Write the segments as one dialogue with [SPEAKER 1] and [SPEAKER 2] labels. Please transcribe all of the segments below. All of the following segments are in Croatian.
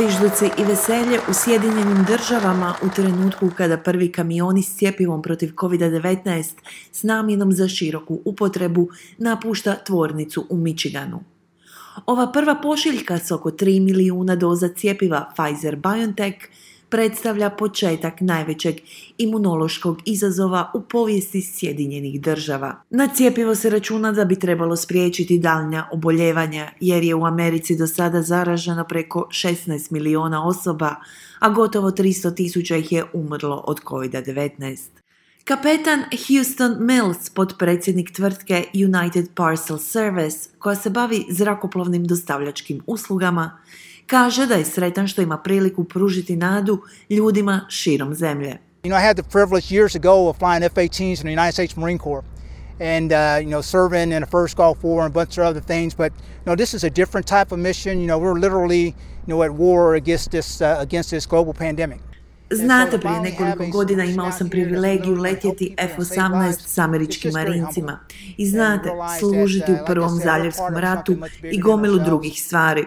[SPEAKER 1] Zvižduci i veselje u Sjedinjenim Državama u trenutku kada prvi kamioni s cjepivom protiv COVID-19 s namjenom za široku upotrebu napušta tvornicu u Michiganu. Ova prva pošiljka s oko 3 milijuna doza cjepiva Pfizer-BioNTech predstavlja početak najvećeg imunološkog izazova u povijesti Sjedinjenih Država. Na cjepivo se računa da bi trebalo spriječiti daljnja oboljevanja, jer je u Americi do sada zaraženo preko 16 milijuna osoba, a gotovo 300.000 ih je umrlo od COVID-19. Kapetan Houston Mills, potpredsjednik tvrtke United Parcel Service, koja se bavi zrakoplovnim dostavljačkim uslugama, kaže da je sretan što ima priliku pružiti nadu ljudima širom zemlje.
[SPEAKER 2] I had the privilege years ago of flying F-18s in the United States Marine Corps and serving in the First Gulf War and a bunch of other things, but this is a different type of mission. We're literally at war against this global pandemic.
[SPEAKER 1] Znate, prije nekoliko godina imao sam privilegiju letjeti F-18 s američkim marincima i znate, služiti u Prvom zaljevskom ratu i gomilu drugih stvari.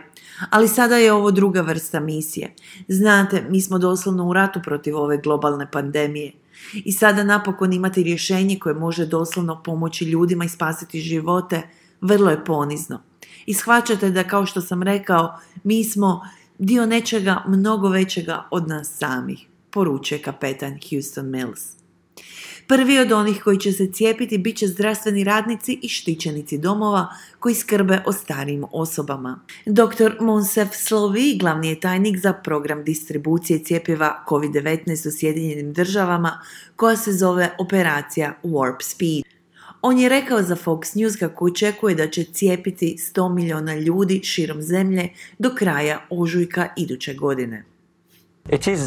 [SPEAKER 1] Ali sada je ovo druga vrsta misije. Znate, mi smo doslovno u ratu protiv ove globalne pandemije. I sada napokon imati rješenje koje može doslovno pomoći ljudima i spasiti živote, vrlo je ponizno. I shvaćate da, kao što sam rekao, mi smo dio nečega mnogo većega od nas samih, poručuje kapetan Houston Mills. Prvi od onih koji će se cijepiti bit će zdravstveni radnici i štićenici domova koji skrbe o starijim osobama. Dr. Monsef Slovi, glavni je tajnik za program distribucije cjepiva COVID-19 u Sjedinjenim Državama, koja se zove operacija Warp Speed. On je rekao za Fox News kako očekuje da će cijepiti 100 milijuna ljudi širom zemlje do kraja ožujka iduće godine.
[SPEAKER 3] It is,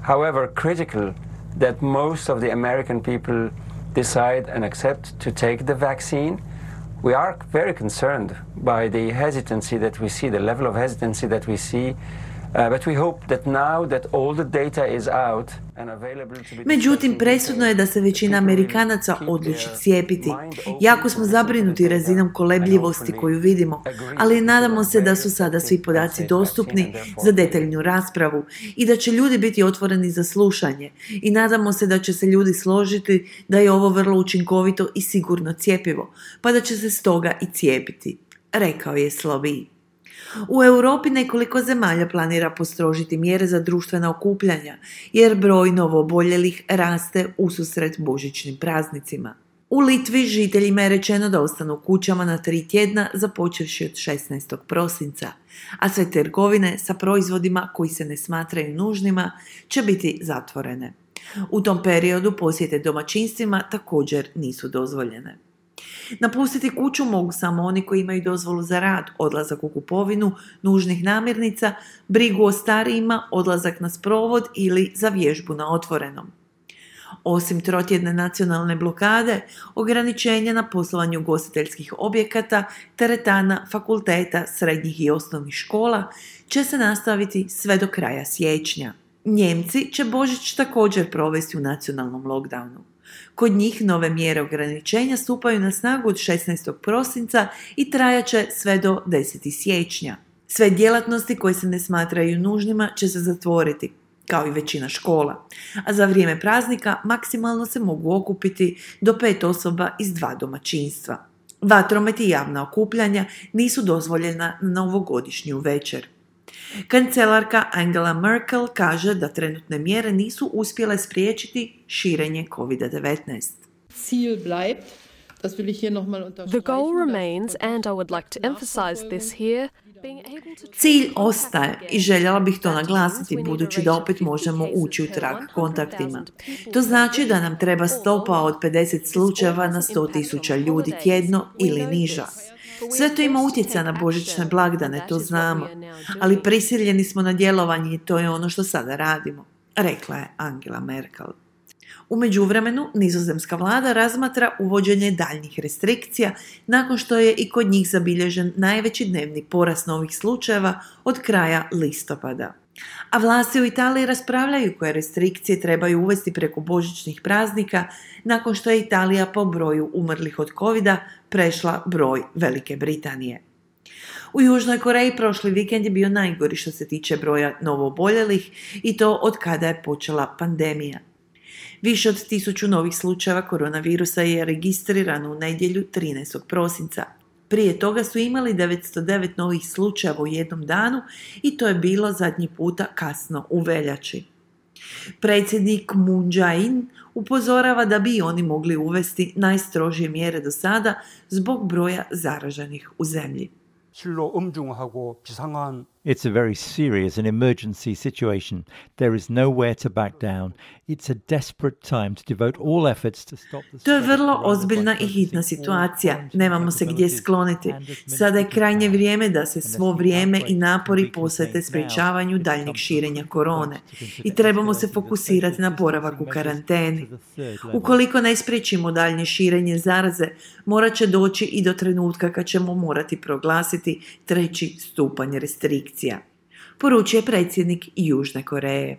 [SPEAKER 3] however, critical that most of the American people decide and accept to take the vaccine. We are very concerned by the hesitancy that we see, the level of hesitancy that we see, but we hope that now that all the data is out and available to be...
[SPEAKER 1] Međutim, presudno je da se većina Amerikanaca odluči cijepiti. Jako smo zabrinuti razinom kolebljivosti koju vidimo, ali nadamo se da su sada svi podaci dostupni za detaljnu raspravu i da će ljudi biti otvoreni za slušanje. I nadamo se da će se ljudi složiti da je ovo vrlo učinkovito i sigurno cjepivo, pa da će se stoga i cijepiti, rekao je Slovi. U Europi nekoliko zemalja planira postrožiti mjere za društvena okupljanja, jer broj novooboljelih raste ususret božićnim praznicima. U Litvi žiteljima je rečeno da ostanu kućama na 3 tjedna započevši od 16. prosinca, a sve trgovine sa proizvodima koji se ne smatraju nužnima će biti zatvorene. U tom periodu posjete domaćinstvima također nisu dozvoljene. Napustiti kuću mogu samo oni koji imaju dozvolu za rad, odlazak u kupovinu nužnih namirnica, brigu o starijima, odlazak na sprovod ili za vježbu na otvorenom. Osim trotjedne nacionalne blokade, ograničenja na poslovanje ugostiteljskih objekata, teretana, fakulteta, srednjih i osnovnih škola će se nastaviti sve do kraja siječnja. Njemci će Božić također provesti u nacionalnom lockdownu. Kod njih nove mjere ograničenja stupaju na snagu od 16. prosinca i trajaće sve do 10. siječnja. Sve djelatnosti koje se ne smatraju nužnima će se zatvoriti, kao i većina škola, a za vrijeme praznika maksimalno se mogu okupiti do 5 osoba iz 2 domaćinstva. Vatromet i javna okupljanja nisu dozvoljena na novogodišnju večer. Kancelarka Angela Merkel kaže da trenutne mjere nisu uspjele spriječiti širenje COVID-19.
[SPEAKER 4] The goal remains, and I would like to emphasize this here,
[SPEAKER 1] Cilj ostaje i željela bih to naglasiti budući da opet možemo ući u trag kontaktima. To znači da nam treba stopa od 50 slučajeva na 100.000 ljudi tjedno ili niža. Sve to ima utjecaja na božićne blagdane, to znamo, ali prisiljeni smo na djelovanje i to je ono što sada radimo, rekla je Angela Merkel. U međuvremenu, nizozemska vlada razmatra uvođenje daljnjih restrikcija nakon što je i kod njih zabilježen najveći dnevni porast novih slučajeva od kraja listopada. A vlasti u Italiji raspravljaju koje restrikcije trebaju uvesti preko božićnih praznika nakon što je Italija po broju umrlih od covida prešla broj Velike Britanije. U Južnoj Koreji prošli vikend je bio najgori što se tiče broja novooboljelih i to od kada je počela pandemija. Više od 1000 novih slučajeva koronavirusa je registrirano u nedjelju 13. prosinca. Prije toga su imali 909 novih slučajeva u jednom danu i to je bilo zadnji puta kasno u veljači. Predsjednik Moon Jae-in upozorava da bi oni mogli uvesti najstrožije mjere do sada zbog broja zaraženih u zemlji.
[SPEAKER 5] It's a very serious and emergency situation. There is nowhere to back down. It's a desperate time to devote all efforts to stop the
[SPEAKER 1] To je vrlo ozbiljna i hitna situacija. Nemamo se gdje skloniti. Sada je krajnje vrijeme da se svo vrijeme i napori posvete sprječavanju daljnjeg širenja korone. I trebamo se fokusirati na boravak u karanteni. Ukoliko ne spriječimo daljnje širenje zaraze, morat će doći i do trenutka kad ćemo morati proglasiti 3. stupanj restrikcija, poručuje predsjednik Južne Koreje.